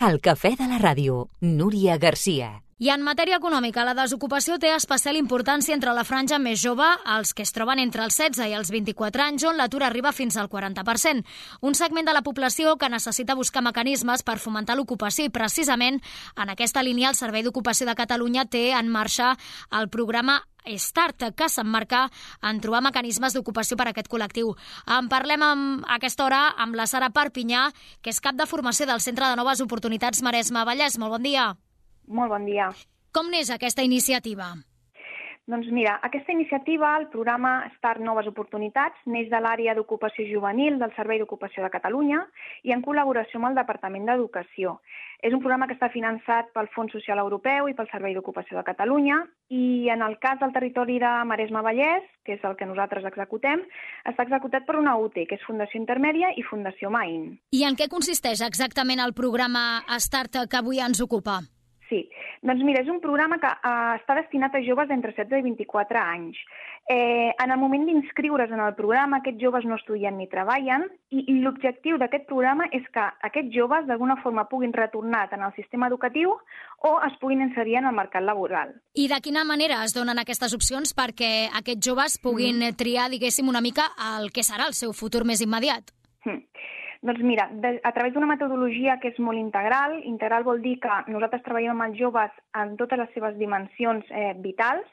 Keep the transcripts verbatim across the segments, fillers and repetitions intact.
El cafè de la ràdio, Núria Garcia. I en matèria econòmica, la desocupació té especial importància entre la franja més jove, els que es troben entre els setze i els vint-i-quatre anys, on l'atur arriba fins al quaranta per cent. Un segment de la població que necessita buscar mecanismes per fomentar l'ocupació i, precisament, en aquesta línia, el Servei d'Ocupació de Catalunya té en marxa el programa Start, que s'emmarca en trobar mecanismes d'ocupació per a aquest col·lectiu. En parlem amb, a aquesta hora amb la Sara Perpinyà, que és cap de formació del Centre de Noves Oportunitats Maresme Vallès. Molt bon dia. Molt bon dia. Com n'és aquesta iniciativa? Doncs mira, aquesta iniciativa, el programa Start Noves Oportunitats, neix de l'àrea d'ocupació juvenil del Servei d'Ocupació de Catalunya i en col·laboració amb el Departament d'Educació. És un programa que està finançat pel Fons Social Europeu i pel Servei d'Ocupació de Catalunya i en el cas del territori de Maresme Vallès, que és el que nosaltres executem, està executat per una U T E, que és Fundació Intermèdia i Fundació Maín. I en què consisteix exactament el programa Start que avui ens ocupa? Sí, doncs mira, és un programa que eh, està destinat a joves d'entre setze i vint-i-quatre anys. Eh, en el moment d'inscriure's en el programa, aquests joves no estudien ni treballen i, i l'objectiu d'aquest programa és que aquests joves d'alguna forma puguin retornar tant al sistema educatiu o es puguin inserir en el mercat laboral. I de quina manera es donen aquestes opcions perquè aquests joves puguin mm. triar, diguéssim, una mica el que serà el seu futur més immediat? Mm. Doncs mira, de, a través d'una metodologia que és molt integral, integral vol dir que nosaltres treballem amb els joves en totes les seves dimensions eh, vitals.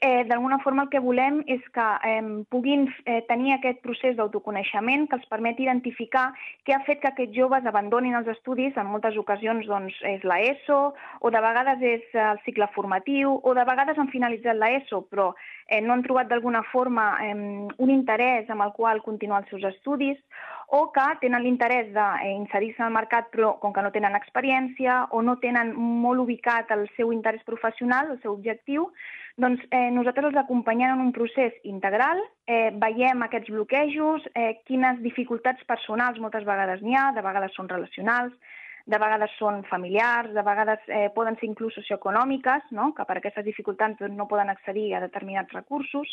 Eh, d'alguna forma el que volem és que eh, puguin eh, tenir aquest procés d'autoconeixement que els permeti identificar què ha fet que aquests joves abandonin els estudis. En moltes ocasions doncs, és l'ESO, o de vegades és el cicle formatiu, o de vegades han finalitzat l'ESO, però eh, no han trobat d'alguna forma eh, un interès amb el qual continuar els seus estudis, o que tenen l'interès d'inserir-se al mercat però com que no tenen experiència o no tenen molt ubicat el seu interès professional, el seu objectiu, doncs eh, nosaltres els acompanyem en un procés integral, eh, veiem aquests bloquejos, eh, quines dificultats personals moltes vegades n'hi ha, de vegades són relacionals, de vegades són familiars, de vegades eh, poden ser inclús socioeconòmiques, no? Que per aquestes dificultats doncs, no poden accedir a determinats recursos,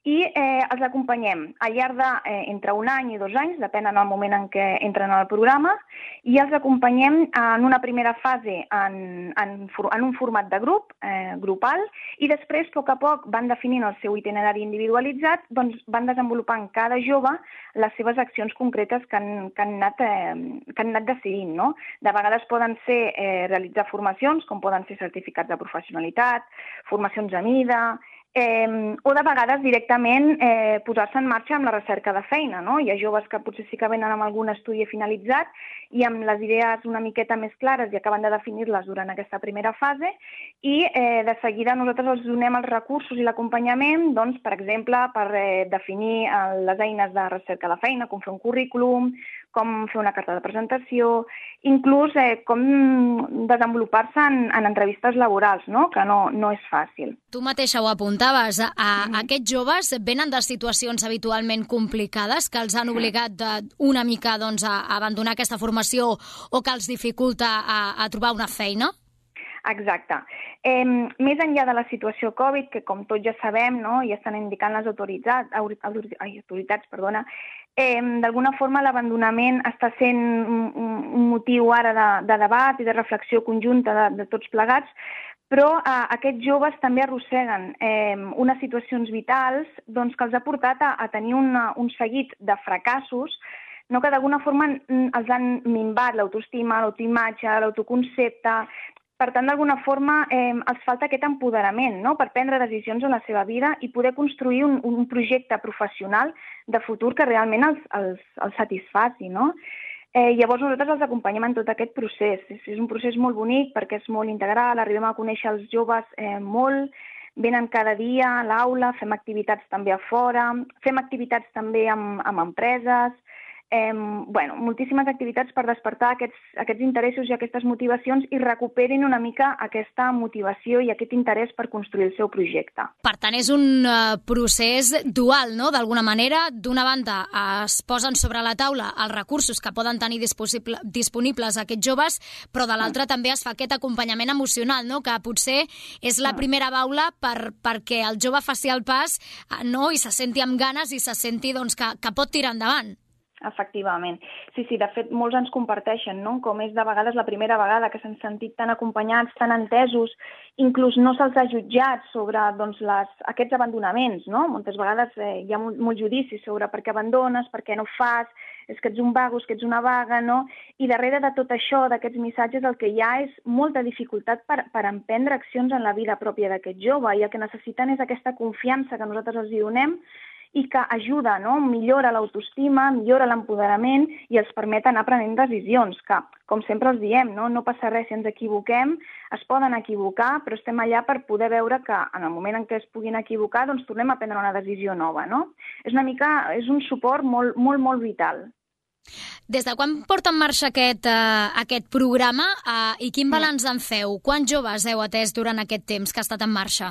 i eh, els acompanyem al llarg de eh, entre un any i dos anys, depèn del moment en què entren al programa, i els acompanyem en una primera fase en, en, en un format de grup, eh, grupal, i després, a poc a poc, van definint el seu itinerari individualitzat, doncs van desenvolupant cada jove les seves accions concretes que han, que han, anat, eh, que han anat decidint. No? De vegades poden ser eh, realitzar formacions, com poden ser certificats de professionalitat, formacions a mida, Eh, o de vegades directament eh, posar-se en marxa amb la recerca de feina. No? Hi ha joves que potser sí que venen amb algun estudi finalitzat i amb les idees una miqueta més clares i acaben de definir-les durant aquesta primera fase i eh, de seguida nosaltres els donem els recursos i l'acompanyament, doncs, per exemple, per eh, definir eh, les eines de recerca de feina, com fer un currículum, com fer una carta de presentació, inclús eh, com desenvolupar-se en, en entrevistes laborals, no? Que no, no és fàcil. Tu mateixa ho apuntaves, a, a mm. aquests joves venen de situacions habitualment complicades que els han obligat de, una mica doncs, a abandonar aquesta formació o que els dificulta a, a trobar una feina? Exacte. Eh, més enllà de la situació Covid, que com tots ja sabem, no, ja estan indicant les autoritats, ai, autoritats, perdona, eh, d'alguna forma l'abandonament està sent un, un motiu ara de, de debat i de reflexió conjunta de, de tots plegats, però eh, aquests joves també arrosseguen eh, unes situacions vitals doncs, que els ha portat a, a tenir una, un seguit de fracassos, no, que d'alguna forma els han minvat l'autoestima, l'autoimatge, l'autoconcepte. Per tant, d'alguna forma, eh, els falta aquest empoderament, no?, per prendre decisions en la seva vida i poder construir un, un projecte professional de futur que realment els, els, els satisfaci, no? Eh, llavors nosaltres els acompanyem en tot aquest procés. És, és un procés molt bonic perquè és molt integral, arribem a conèixer els joves eh, molt, venen cada dia a l'aula, fem activitats també a fora, fem activitats també amb, amb empreses, Eh, bueno, moltíssimes activitats per despertar aquests, aquests interessos i aquestes motivacions i recuperin una mica aquesta motivació i aquest interès per construir el seu projecte. Per tant, és un uh, procés dual, no?, d'alguna manera. D'una banda, es posen sobre la taula els recursos que poden tenir disponibles aquests joves, però de l'altra mm. també es fa aquest acompanyament emocional, no?, que potser és la mm. primera baula per, perquè el jove faci el pas, no?, i se senti amb ganes i se senti doncs, que, que pot tirar endavant. Efectivament. Sí, sí, de fet, molts ens comparteixen, no?, com és de vegades la primera vegada que s'han sentit tan acompanyats, tan entesos, inclús no se'ls ha jutjat sobre doncs, les, aquests abandonaments, no? Moltes vegades eh, hi ha molt, molt judici sobre per què abandones, per què no fas, és que ets un vago, és que ets una vaga, no? I darrere de tot això, d'aquests missatges, el que hi ha és molta dificultat per, per emprendre accions en la vida pròpia d'aquest jove, i el que necessiten és aquesta confiança que nosaltres els hi donem i que ajuda, no?, millora l'autoestima, millora l'empoderament i els permet anar prenent decisions, que, com sempre els diem, no, no passa res si ens equivoquem, es poden equivocar, però estem allà per poder veure que en el moment en què es puguin equivocar, doncs tornem a prendre una decisió nova, no? És una mica, és un suport molt, molt, molt vital. Des de quan porta en marxa aquest, uh, aquest programa uh, i quin balanç en feu? Quants joves heu atès durant aquest temps que ha estat en marxa?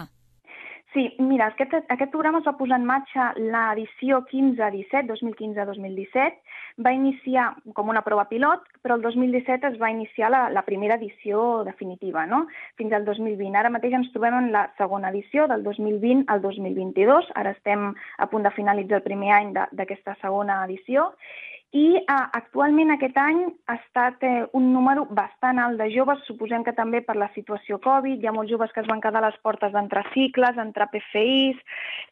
Sí, mira, aquest, aquest programa es va posar en marxa l'edició quinze disset, dos mil quinze dos mil disset, va iniciar com una prova pilot, però el dos mil disset es va iniciar la, la primera edició definitiva, no?, fins al dos mil vint. Ara mateix ens trobem en la segona edició, del dos mil vint al dos mil vint-i-dos, ara estem a punt de finalitzar el primer any d'aquesta segona edició, i eh, actualment aquest any ha estat eh, un número bastant alt de joves, suposem que també per la situació Covid, hi ha molts joves que es van quedar a les portes d'entrar cicles, entrar P F Is,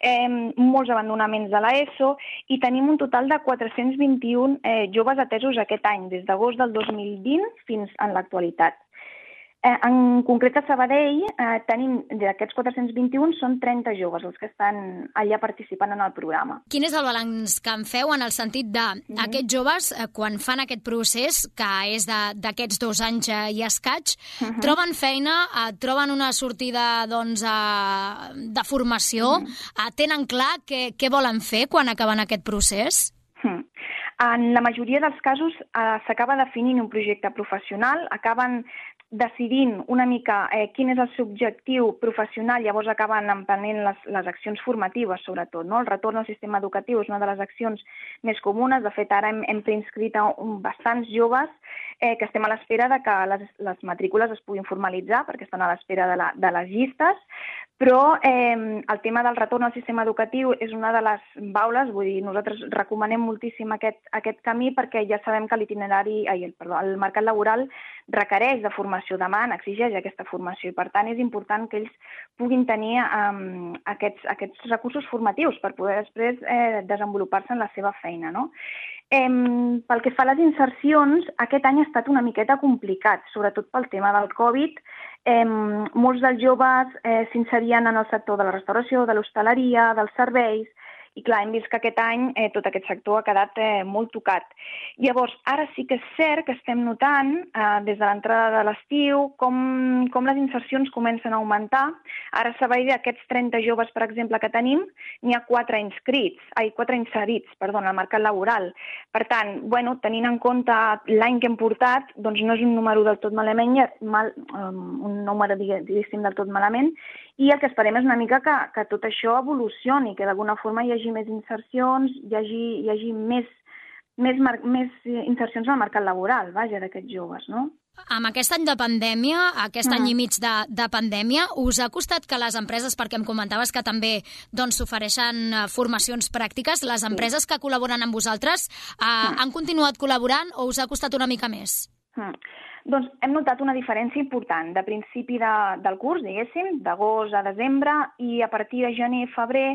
eh, molts abandonaments de l'ESO, i tenim un total de quatre-cents vint-i-un eh, joves atesos aquest any, des d'agost del dos mil vint fins en l'actualitat. Eh, en concret a Sabadell eh, tenim, d'aquests quatre-cents vint-i-un, són trenta joves els que estan allà participant en el programa. Quin és el balanç que en feu en el sentit de mm-hmm. aquests joves, eh, quan fan aquest procés, que és d'aquests dos anys eh, i escaig, mm-hmm. troben feina, eh, troben una sortida doncs, eh, de formació, mm-hmm. eh, tenen clar què, què volen fer quan acaben aquest procés? Mm. En la majoria dels casos eh, s'acaba definint un projecte professional, acaben decidint una mica eh, quin és el seu objectiu professional, llavors acaben emprenent les, les accions formatives, sobretot, no? El retorn al sistema educatiu és una de les accions més comunes. De fet, ara hem, hem preinscrit a un, bastants joves eh, que estem a l'espera de que les, les matrícules es puguin formalitzar, perquè estan a l'espera de, la, de les llistes, però eh, el tema del retorn al sistema educatiu és una de les baules, vull dir, nosaltres recomanem moltíssim aquest, aquest camí perquè ja sabem que l'itinerari, ai, perdó, el mercat laboral requereix de formació, demana, exigeix aquesta formació, i per tant és important que ells puguin tenir um, aquests, aquests recursos formatius per poder després eh, desenvolupar-se en la seva feina, no? Eh, pel que fa a les insercions, aquest any ha estat una miqueta complicat, sobretot pel tema del Covid. Eh, molts dels joves eh, s'inserien en el sector de la restauració, de l'hostaleria, dels serveis, i clar, hem vist que aquest any eh, tot aquest sector ha quedat eh, molt tocat. Llavors, ara sí que és cert que estem notant, eh, des de l'entrada de l'estiu, com, com les insercions comencen a augmentar. Ara a Sabadell, d'aquests trenta joves, per exemple, que tenim, n'hi ha quatre inscrits, ai, quatre inserits, perdó, al mercat laboral. Per tant, bueno, tenint en compte l'any que hem portat, doncs no és un número del tot malament, mal, um, un número, diguéssim, del tot malament, i el que esperem és una mica que, que tot això evolucioni, que d'alguna forma hi hagi més insercions, hi hagi, hi hagi més, més, més insercions al mercat laboral, vaja, d'aquests joves, no? Amb aquest any de pandèmia, aquest any Mm. i mig de, de pandèmia, us ha costat que les empreses, perquè em comentaves que també doncs, s'ofereixen eh, formacions pràctiques, les empreses que col·laboren amb vosaltres eh, Mm. han continuat col·laborant o us ha costat una mica més? Mm. Doncs hem notat una diferència important de principi de, del curs, diguéssim, d'agost a desembre, i a partir de gener i febrer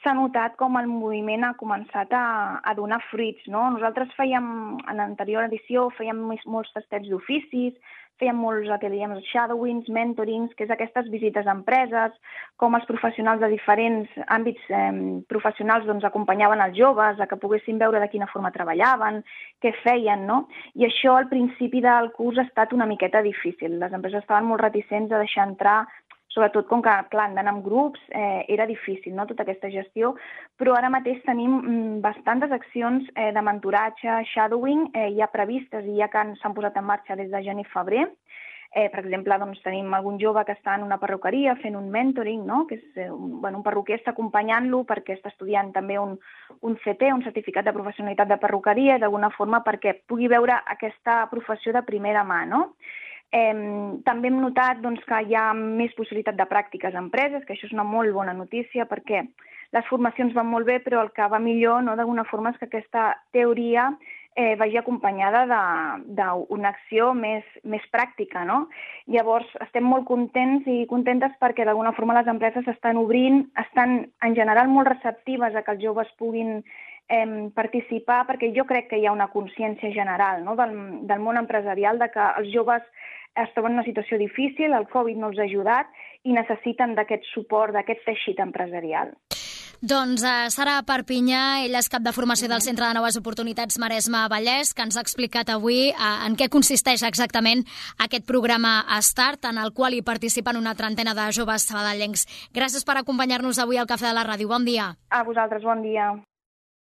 s'ha notat com el moviment ha començat a, a donar fruits, no? Nosaltres fèiem, en l'anterior edició, fèiem molts tastets d'oficis, fèiem molts ateliers shadowings, mentorings, que és aquestes visites a empreses, com els professionals de diferents àmbits eh, professionals doncs, acompanyaven els joves a que poguessin veure de quina forma treballaven, què feien, no? I això al principi del curs ha estat una miqueta difícil. Les empreses estaven molt reticents a deixar entrar, sobretot com que, clar, han d'anar en grups, eh, era difícil, no?, tota aquesta gestió, però ara mateix tenim mm, bastantes accions eh, de mentoratge, shadowing, eh, ja previstes i ja que s'han posat en marxa des de gener i febrer. Eh, per exemple, doncs, tenim algun jove que està en una perruqueria fent un mentoring, no?, que és, eh, un, bueno, un perruquer està acompanyant-lo perquè està estudiant també un, un C T, un certificat de professionalitat de perruqueria, d'alguna forma perquè pugui veure aquesta professió de primera mà, no? Eh, també hem notat doncs, que hi ha més possibilitat de pràctiques a empreses, que això és una molt bona notícia perquè les formacions van molt bé, però el que va millor, no, d'alguna forma, és que aquesta teoria eh, vagi acompanyada d'una acció més, més pràctica, no? Llavors, estem molt contents i contentes perquè d'alguna forma les empreses estan obrint, estan en general molt receptives a que els joves puguin eh, participar, perquè jo crec que hi ha una consciència general, no, del, del món empresarial, de que els joves es troben en una situació difícil, el Covid no els ha ajudat i necessiten d'aquest suport, d'aquest teixit empresarial. Doncs uh, Sara Perpinyà, ella és cap de formació del Centre de Noves Oportunitats Maresme-Vallès, que ens ha explicat avui uh, en què consisteix exactament aquest programa Start, en el qual hi participen una trentena de joves sabadellencs. Gràcies per acompanyar-nos avui al Cafè de la Ràdio. Bon dia. A vosaltres, bon dia.